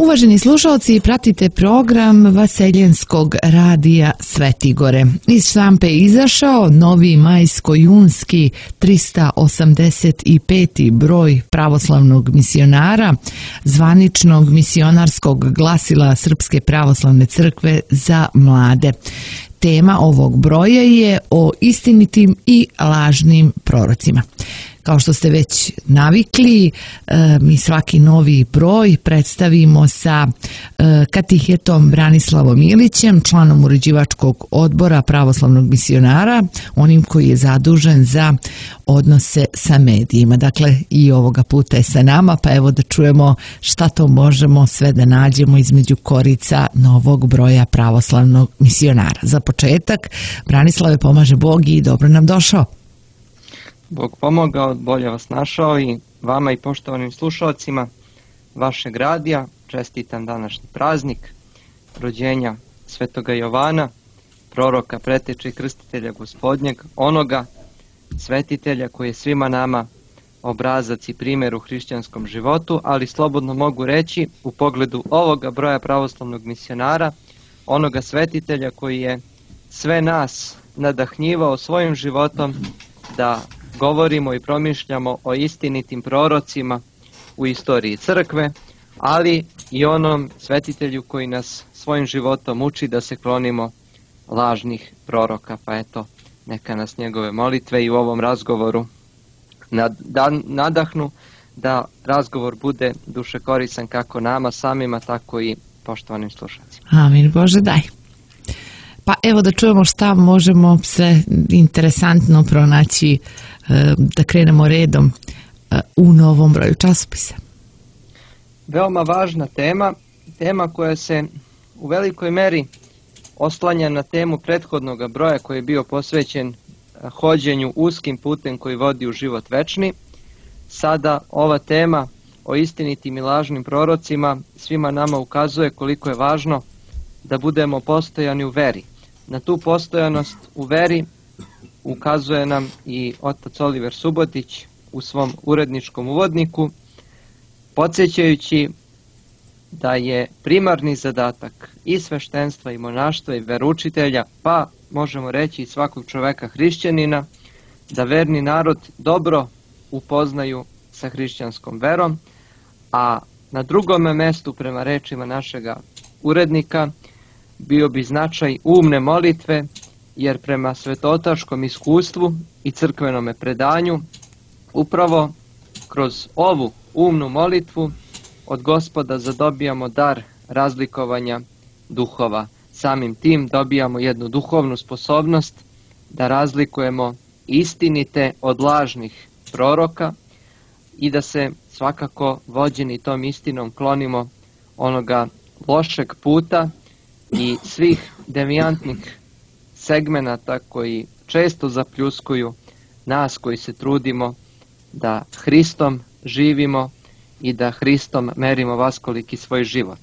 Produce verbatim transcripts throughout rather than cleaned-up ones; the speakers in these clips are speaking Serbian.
Uvaženi slušalci, pratite program Vaseljenskog radija Svetigore. Iz štampe je izašao novi majsko-junski trista osamdeset peti broj pravoslavnog misionara, zvaničnog misionarskog glasila Srpske pravoslavne crkve za mlade. Tema ovog broja je o istinitim i lažnim prorocima. Kao što ste već navikli, mi svaki novi broj predstavimo sa katehetom Branislavom Ilićem, članom uređivačkog odbora pravoslavnog misionara, onim koji je zadužen za odnose sa medijima. Dakle, i ovoga puta je sa nama, pa evo da čujemo šta to možemo sve da nađemo između korica novog broja pravoslavnog misionara. Za početak, Branislave, pomaže Bog i dobro nam došao. Bog pomogao, bolje vas našao i vama i poštovanim slušalcima vašeg radija. Čestitam današnji praznik rođenja Svetoga Jovana, proroka, preteče i krstitelja Gospodnjeg, onoga svetitelja koji je svima nama obrazac i primjer u hrišćanskom životu, ali slobodno mogu reći u pogledu ovoga broja pravoslavnog misionara, onoga svetitelja koji je sve nas nadahnjivao svojim životom da govorimo i promišljamo o istinitim prorocima u istoriji crkve, ali i onom svetitelju koji nas svojim životom uči da se klonimo lažnih proroka. Pa eto, neka nas njegove molitve i u ovom razgovoru nadahnu da razgovor bude duše koristan kako nama samima, tako i poštovanim slušalcima. Amin, Bože daj. Pa evo da čujemo šta možemo sve interesantno pronaći, da krenemo redom u novom broju časopisa. Veoma važna tema, tema koja se u velikoj meri oslanja na temu prethodnog broja koji je bio posvećen hođenju uskim putem koji vodi u život večni. Sada ova tema o istinitim i lažnim prorocima svima nama ukazuje koliko je važno da budemo postojani u veri. Na tu postojanost u veri ukazuje nam i otac Oliver Subotić u svom uredničkom uvodniku, podsjećajući da je primarni zadatak i sveštenstva i monaštva i veroučitelja, pa možemo reći i svakog čoveka hrišćanina, da verni narod dobro upoznaju sa hrišćanskom verom, a na drugome mestu prema rečima našega urednika bio bi značaj umne molitve, jer prema svetotaškom iskustvu i crkvenome predanju upravo kroz ovu umnu molitvu od Gospoda zadobijamo dar razlikovanja duhova. Samim tim dobijamo jednu duhovnu sposobnost da razlikujemo istinite od lažnih proroka i da se svakako vođeni tom istinom klonimo onoga lošeg puta i svih devijantnih segmenata koji često zapljuskuju nas koji se trudimo da Hristom živimo i da Hristom merimo vaskoliki svoj život.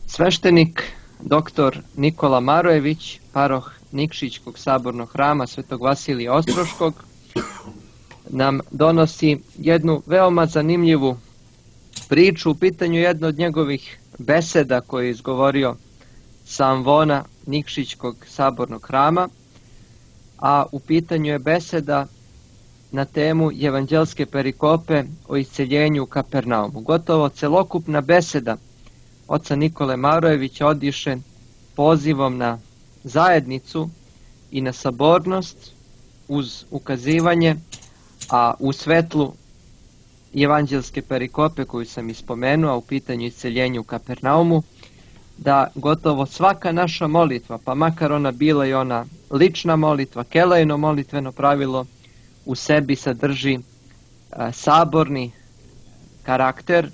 Sveštenik doktor Nikola Marojević, paroh Nikšićkog sabornog hrama Svetog Vasilija Ostroškog, nam donosi jednu veoma zanimljivu priču. U pitanju jedno od njegovih beseda koje je izgovorio sa amvona Nikšićkog sabornog hrama, a u pitanju je beseda na temu evanđelske perikope o isceljenju u Kapernaumu. Gotovo celokupna beseda oca Nikole Marojevića odiše pozivom na zajednicu i na sabornost uz ukazivanje, a u svetlu evanđelske perikope koju sam ispomenuo, u pitanju isceljenja u Kapernaumu, da gotovo svaka naša molitva, pa makar ona bila i ona lična molitva, kelejno molitveno pravilo, u sebi sadrži a, saborni karakter,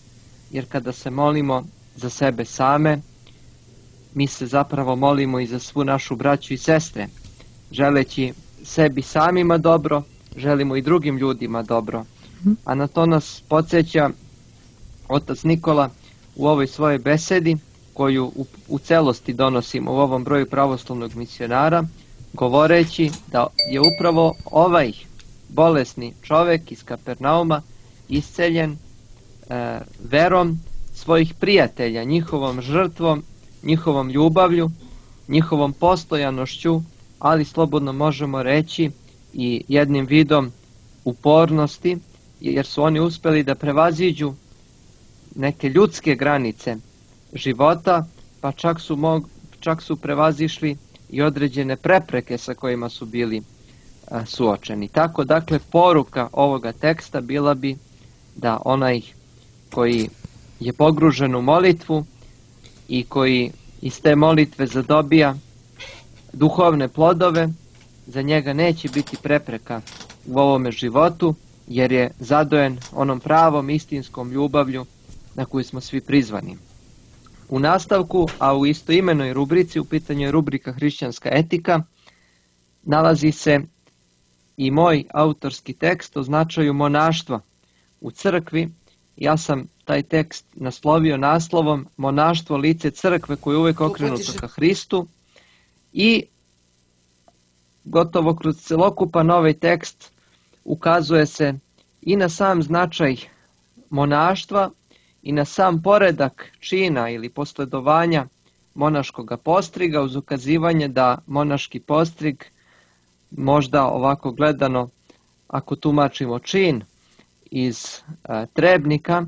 jer kada se molimo za sebe same, mi se zapravo molimo i za svu našu braću i sestre. Želeći sebi samima dobro, želimo i drugim ljudima dobro. A na to nas podsjeća otac Nikola u ovoj svojoj besedi, koju u, u celosti donosimo u ovom broju pravoslavnog misionara, govoreći da je upravo ovaj bolesni čovek iz Kapernauma isceljen e, verom svojih prijatelja, njihovom žrtvom, njihovom ljubavlju, njihovom postojanošću, ali slobodno možemo reći i jednim vidom upornosti, jer su oni uspjeli da prevaziđu neke ljudske granice života, pa čak su, mog, čak su prevazišli i određene prepreke sa kojima su bili a, suočeni. Tako, dakle, poruka ovoga teksta bila bi da onaj koji je pogružen u molitvu i koji iz te molitve zadobija duhovne plodove, za njega neće biti prepreka u ovome životu, jer je zadojen onom pravom istinskom ljubavlju na koju smo svi prizvani. U nastavku, a u istoimenoj rubrici, u pitanju je rubrika Hrišćanska etika, nalazi se i moj autorski tekst o značaju monaštva u crkvi. Ja sam taj tekst naslovio naslovom Monaštvo, lice crkve koje je uvijek okrenuto ka Hristu, i gotovo kroz celokupan ovaj tekst ukazuje se i na sam značaj monaštva i na sam poredak čina ili posledovanja monaškog postriga, uz ukazivanje da monaški postrig, možda ovako gledano, ako tumačimo čin iz a, Trebnika,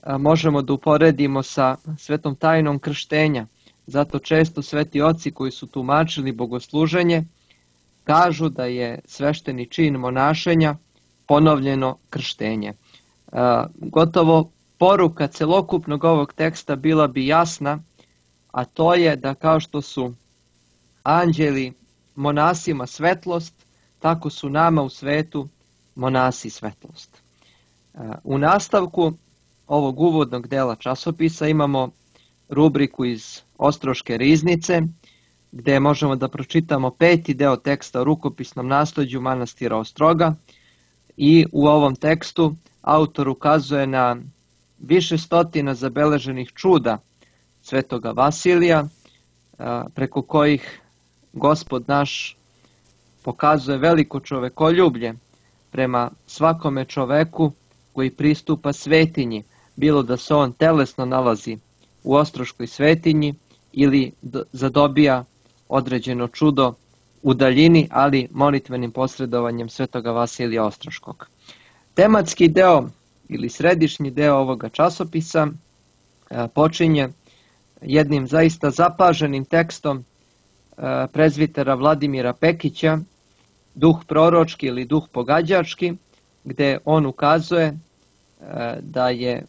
a, možemo da uporedimo sa svetom tajnom krštenja. Zato često sveti oci koji su tumačili bogosluženje kažu da je svešteni čin monašenja ponovljeno krštenje. A, gotovo poruka celokupnog ovog teksta bila bi jasna, a to je da kao što su anđeli monasima svetlost, tako su nama u svetu monasi svetlost. U nastavku ovog uvodnog dela časopisa imamo rubriku iz Ostroške riznice, gdje možemo da pročitamo peti deo teksta o rukopisnom nasleđu manastira Ostroga, i u ovom tekstu autor ukazuje na više stotina zabeleženih čuda svetoga Vasilija, preko kojih Gospod naš pokazuje veliko čovekoljublje prema svakome čoveku koji pristupa svetinji, bilo da se on telesno nalazi u Ostroškoj svetinji ili zadobija određeno čudo u daljini, ali molitvenim posredovanjem svetoga Vasilija Ostroškog. Tematski deo ili središnji deo ovoga časopisa počinje jednim zaista zapaženim tekstom prezvitera Vladimira Pekića, Duh proročki ili duh pogađački, gdje on ukazuje da je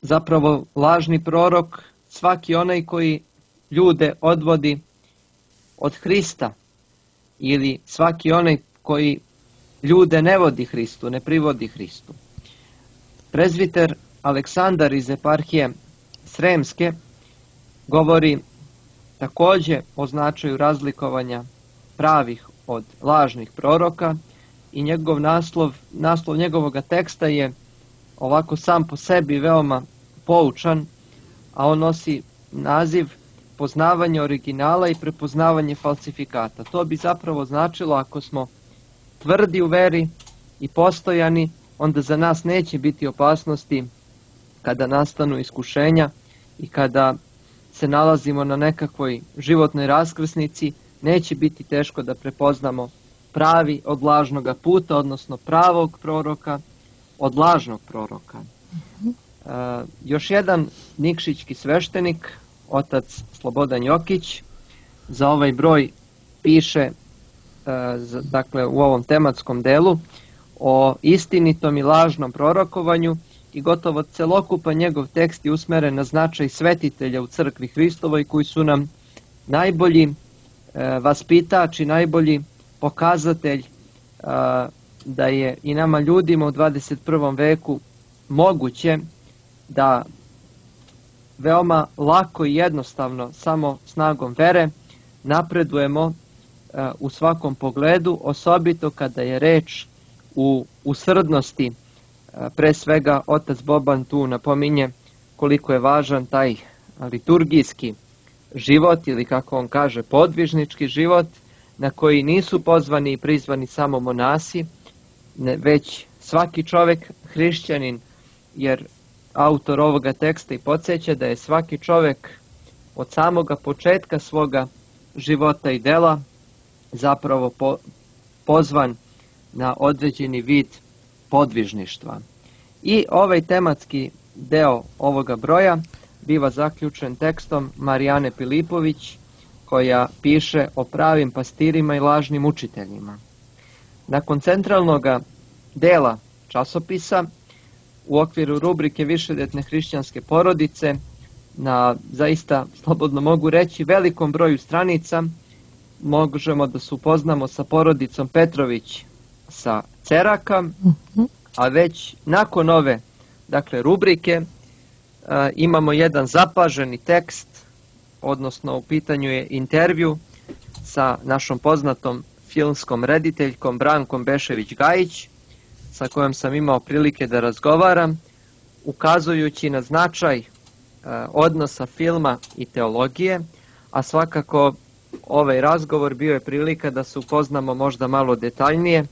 zapravo lažni prorok svaki onaj koji ljude odvodi od Hrista, ili svaki onaj koji ljude ne vodi Hristu, ne privodi Hristu. Prezviter Aleksandar iz eparhije Sremske govori također o značaju razlikovanja pravih od lažnih proroka, i njegov naslov, naslov njegovog teksta je ovako sam po sebi veoma poučan, a on nosi naziv Poznavanje originala i prepoznavanje falsifikata. To bi zapravo značilo, ako smo tvrdi u veri i postojani, onda za nas neće biti opasnosti kada nastanu iskušenja i kada se nalazimo na nekakvoj životnoj raskrsnici, neće biti teško da prepoznamo pravi od lažnoga puta, odnosno pravog proroka od lažnog proroka. Uh, još jedan nikšićki sveštenik, otac Slobodan Jokić, za ovaj broj piše, uh, dakle u ovom tematskom delu, o istinitom i lažnom prorokovanju, i gotovo celokupan njegov tekst je usmeren na značaj svetitelja u crkvi Hristovoj, koji su nam najbolji uh, vaspitač i najbolji pokazatelj uh, da je i nama ljudima u dvadeset prvom veku moguće da veoma lako i jednostavno, samo snagom vere, napredujemo uh, u svakom pogledu, osobito kada je reč u usrdnosti. Uh, pre svega otac Boban tu napominje koliko je važan taj liturgijski život, ili kako on kaže podvižnički život, na koji nisu pozvani i prizvani samo monasi, ne, već svaki čovjek hrišćanin, jer autor ovoga teksta i podsjeća da je svaki čovjek od samoga početka svoga života i dela zapravo po, pozvan na određeni vid podvižništva. I ovaj tematski deo ovoga broja biva zaključen tekstom Marijane Pilipović, koja piše o pravim pastirima i lažnim učiteljima. Nakon centralnog dela časopisa, u okviru rubrike Višedetne hrišćanske porodice, na zaista, slobodno mogu reći, velikom broju stranica, možemo da se upoznamo sa porodicom Petrović sa Ceraka, a već nakon ove, dakle, rubrike a, imamo jedan zapaženi tekst, odnosno u pitanju je intervju sa našom poznatom filmskom rediteljkom Brankom Bešević-Gajić, sa kojom sam imao prilike da razgovaram, ukazujući na značaj a, odnosa filma i teologije, a svakako ovaj razgovor bio je prilika da se upoznamo možda malo detaljnije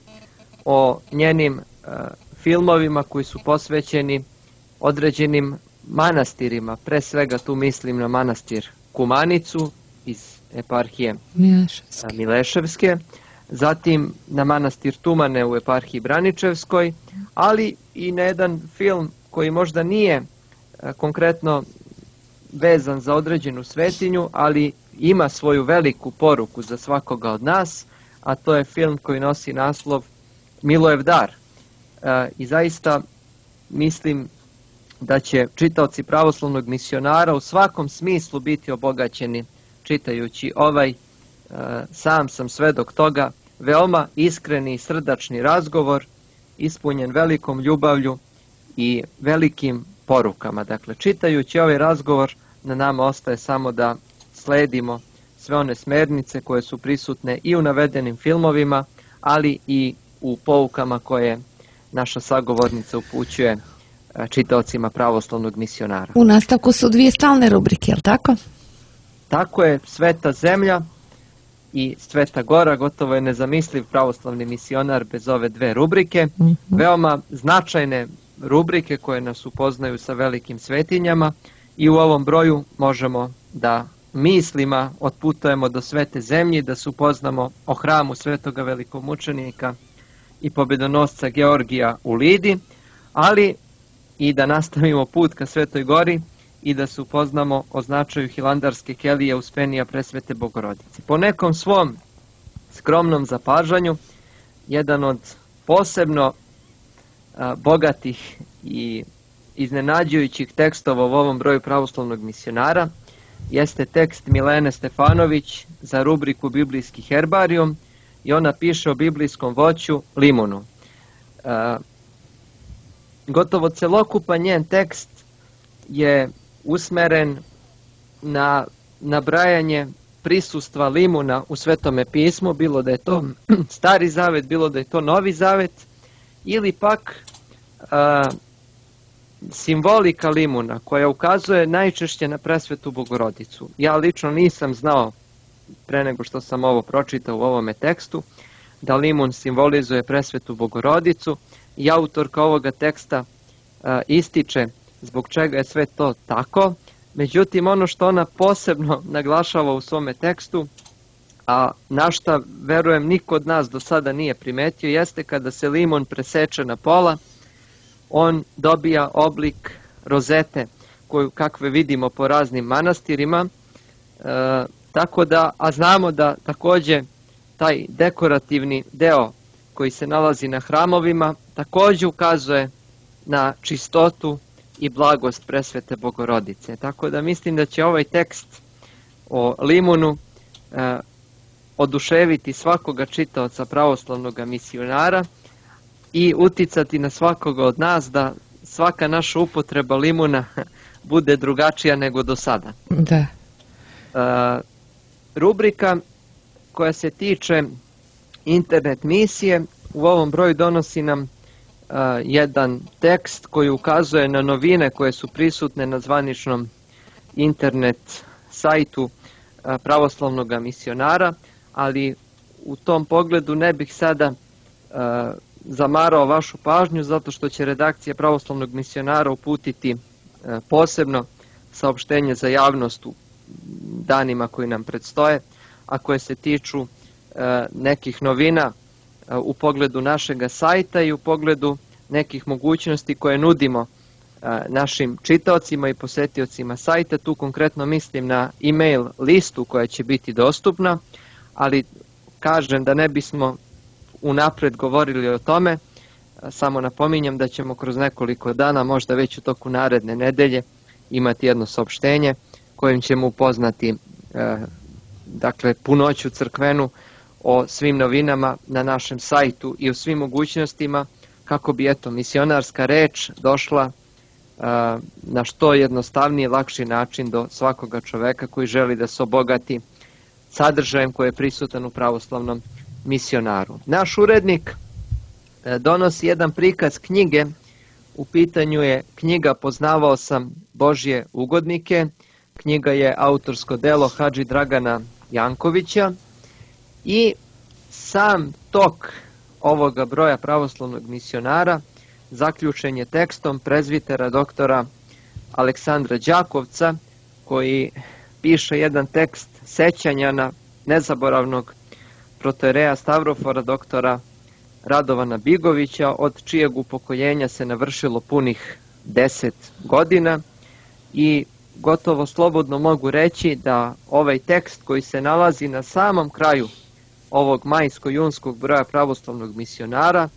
o njenim a, filmovima koji su posvećeni određenim manastirima. Pre svega tu mislim na manastir Kumanicu iz eparhije Mileševske, Mileševske, zatim na manastir Tumane u eparhiji Braničevskoj, ali i na jedan film koji možda nije a, konkretno vezan za određenu svetinju, ali ima svoju veliku poruku za svakoga od nas, a to je film koji nosi naslov Milojev dar. E, I zaista mislim da će čitaoci pravoslavnog misionara u svakom smislu biti obogaćeni čitajući ovaj, e, sam sam svedok toga, veoma iskreni i srdačni razgovor, ispunjen velikom ljubavlju i velikim porukama. Dakle, čitajući ovaj razgovor, na nama ostaje samo da sledimo sve one smernice koje su prisutne i u navedenim filmovima, ali i u poukama koje naša sagovornica upućuje čitaocima pravoslavnog misionara. U nastavku su dvije stalne rubrike, je li tako? Tako je, Sveta zemlja i Sveta gora, gotovo je nezamisliv pravoslavni misionar bez ove dve rubrike. Mm-hmm. Veoma značajne rubrike koje nas upoznaju sa velikim svetinjama i u ovom broju možemo da mislima otputujemo do Svete zemlje, da se upoznamo o hramu svetoga velikomučenika i pobedonosca Georgija u Lidi, ali i da nastavimo put ka Svetoj gori i da se upoznamo o značaju hilandarske kelije Uspenija Presvete Bogorodice. Po nekom svom skromnom zapažanju, jedan od posebno a, bogatih i iznenađujućih tekstova u ovom broju pravoslavnog misionara jeste tekst Milene Stefanović za rubriku Biblijski herbarijum i ona piše o biblijskom voću limunu. E, gotovo celokupan njen tekst je usmeren na nabrajanje prisustva limuna u Svetome pismu, bilo da je to Stari zavet, bilo da je to Novi zavet, ili pak a, simbolika limuna koja ukazuje najčešće na Presvetu Bogorodicu. Ja lično nisam znao, pre nego što sam ovo pročitao u ovome tekstu, da limun simbolizuje Presvetu Bogorodicu i autorka ovoga teksta a, ističe zbog čega je sve to tako. Međutim, ono što ona posebno naglašava u svome tekstu, a na šta verujem niko od nas do sada nije primetio, jeste kada se limun preseče na pola, on dobija oblik rozete koju kakve vidimo po raznim manastirima, e, tako da, a znamo da također taj dekorativni deo koji se nalazi na hramovima također ukazuje na čistotu i blagost Presvete Bogorodice. Tako da mislim da će ovaj tekst o limunu e, oduševiti svakoga čitaoca pravoslavnog misionara i uticati na svakoga od nas da svaka naša upotreba limuna bude drugačija nego do sada. Da. E, rubrika koja se tiče internet misije u ovom broju donosi nam uh, jedan tekst koji ukazuje na novine koje su prisutne na zvaničnom internet sajtu uh, pravoslavnog misionara, ali u tom pogledu ne bih sada uh, zamarao vašu pažnju zato što će redakcija pravoslavnog misionara uputiti posebno saopštenje za javnost u danima koji nam predstoje, a koje se tiču nekih novina u pogledu našega sajta i u pogledu nekih mogućnosti koje nudimo našim čitaocima i posetiocima sajta. Tu konkretno mislim na e-mail listu koja će biti dostupna, ali kažem da ne bismo unapred govorili o tome, samo napominjem da ćemo kroz nekoliko dana, možda već u toku naredne nedelje, imati jedno saopštenje kojim ćemo upoznati dakle punoću crkvenu o svim novinama na našem sajtu i o svim mogućnostima kako bi eto misionarska reč došla na što jednostavniji i lakši način do svakoga čoveka koji želi da se obogati sadržajem koji je prisutan u pravoslavnom misionaru. Naš urednik donosi jedan prikaz knjige, u pitanju je knjiga Poznavao sam Božje ugodnike, knjiga je autorsko delo Hadži Dragana Jankovića i sam tok ovoga broja pravoslavnog misionara zaključen je tekstom prezbitera doktora Aleksandra Đakovca, koji piše jedan tekst sećanja na nezaboravnog protojereja Stavrofora doktora Radovana Bigovića, od čijeg upokoljenja se navršilo punih deset godina, i gotovo slobodno mogu reći da ovaj tekst koji se nalazi na samom kraju ovog majsko-junskog broja pravoslavnog misionara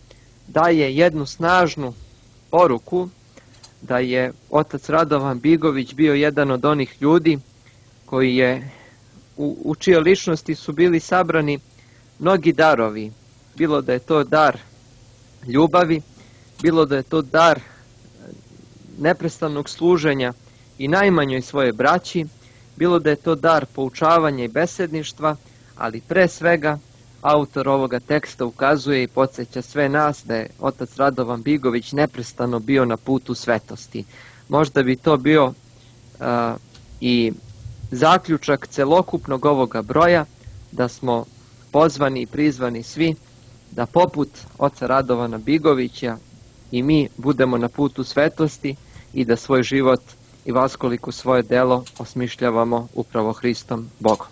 daje jednu snažnu poruku da je otac Radovan Bigović bio jedan od onih ljudi koji je, u, u čijoj ličnosti su bili sabrani mnogi darovi, bilo da je to dar ljubavi, bilo da je to dar neprestanog služenja i najmanjoj svoje braći, bilo da je to dar poučavanja i besedništva, ali pre svega autor ovoga teksta ukazuje i podsjeća sve nas da je otac Radovan Bigović neprestano bio na putu svetosti. Možda bi to bio uh, i zaključak celokupnog ovoga broja, da smo pozvani i prizvani svi da poput oca Radovana Bigovića i mi budemo na putu svetosti i da svoj život i vaskoliko svoje delo osmišljavamo upravo Hristom Bogom.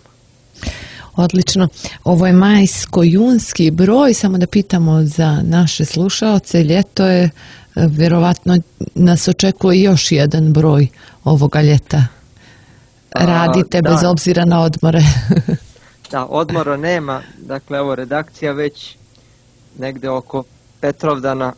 Odlično. Ovo je majsko-junski broj, samo da pitamo za naše slušaoce, ljeto je, vjerovatno nas očekuje još jedan broj ovoga ljeta. Radite A, da. bez obzira na odmore. Da, odmora nema, dakle evo redakcija već negde oko Petrovdana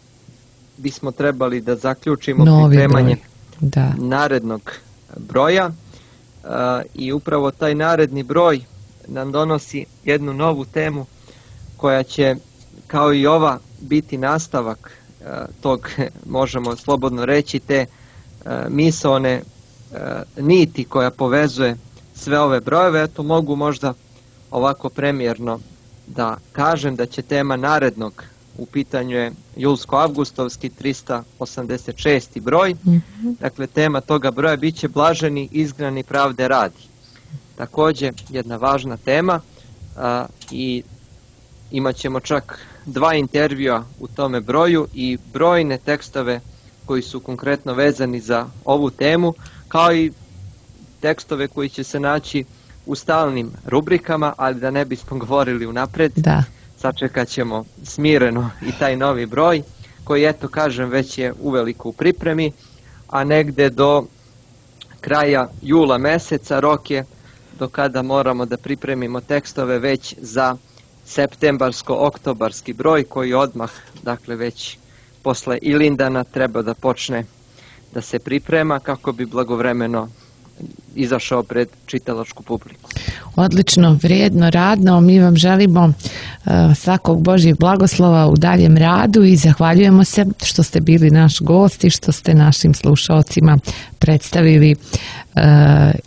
bismo trebali da zaključimo Novi pripremanje da. narednog broja uh, i upravo taj naredni broj nam donosi jednu novu temu koja će, kao i ova, biti nastavak uh, tog, možemo slobodno reći, te uh, misaone uh, niti koja povezuje sve ove brojeve. Eto, mogu možda ovako premijerno da kažem da će tema narednog, u pitanju je julsko-avgustovski trista osamdeset šesti broj, mm-hmm. dakle tema toga broja bit će Blaženi izgnani pravde radi. Također jedna važna tema a, i imat ćemo čak dva intervjua u tome broju i brojne tekstove koji su konkretno vezani za ovu temu, kao i tekstove koji će se naći u stalnim rubrikama, ali da ne bismo govorili unapred, da. sačekat ćemo smireno i taj novi broj, koji, eto kažem, već je uveliko u pripremi, a negde do kraja jula meseca rok je do kada moramo da pripremimo tekstove već za septembarsko-oktobarski broj, koji odmah, dakle već posle Ilindana, treba da počne da se priprema kako bi blagovremeno izašao pred čitalačku publiku. Odlično, vrijedno, radno. Mi vam želimo uh, svakog Božjeg blagoslova u daljem radu i zahvaljujemo se što ste bili naš gost i što ste našim slušaocima predstavili uh,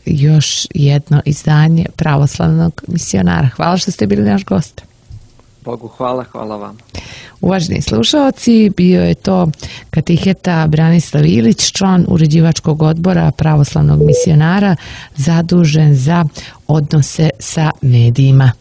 još jedno izdanje Pravoslavnog misionara. Hvala što ste bili naš gost. Bogu hvala, hvala vam. Uvaženi slušaoci, bio je to katiheta Branislav Ilić, član uređivačkog odbora Pravoslavnog misionara, zadužen za odnose sa medijima.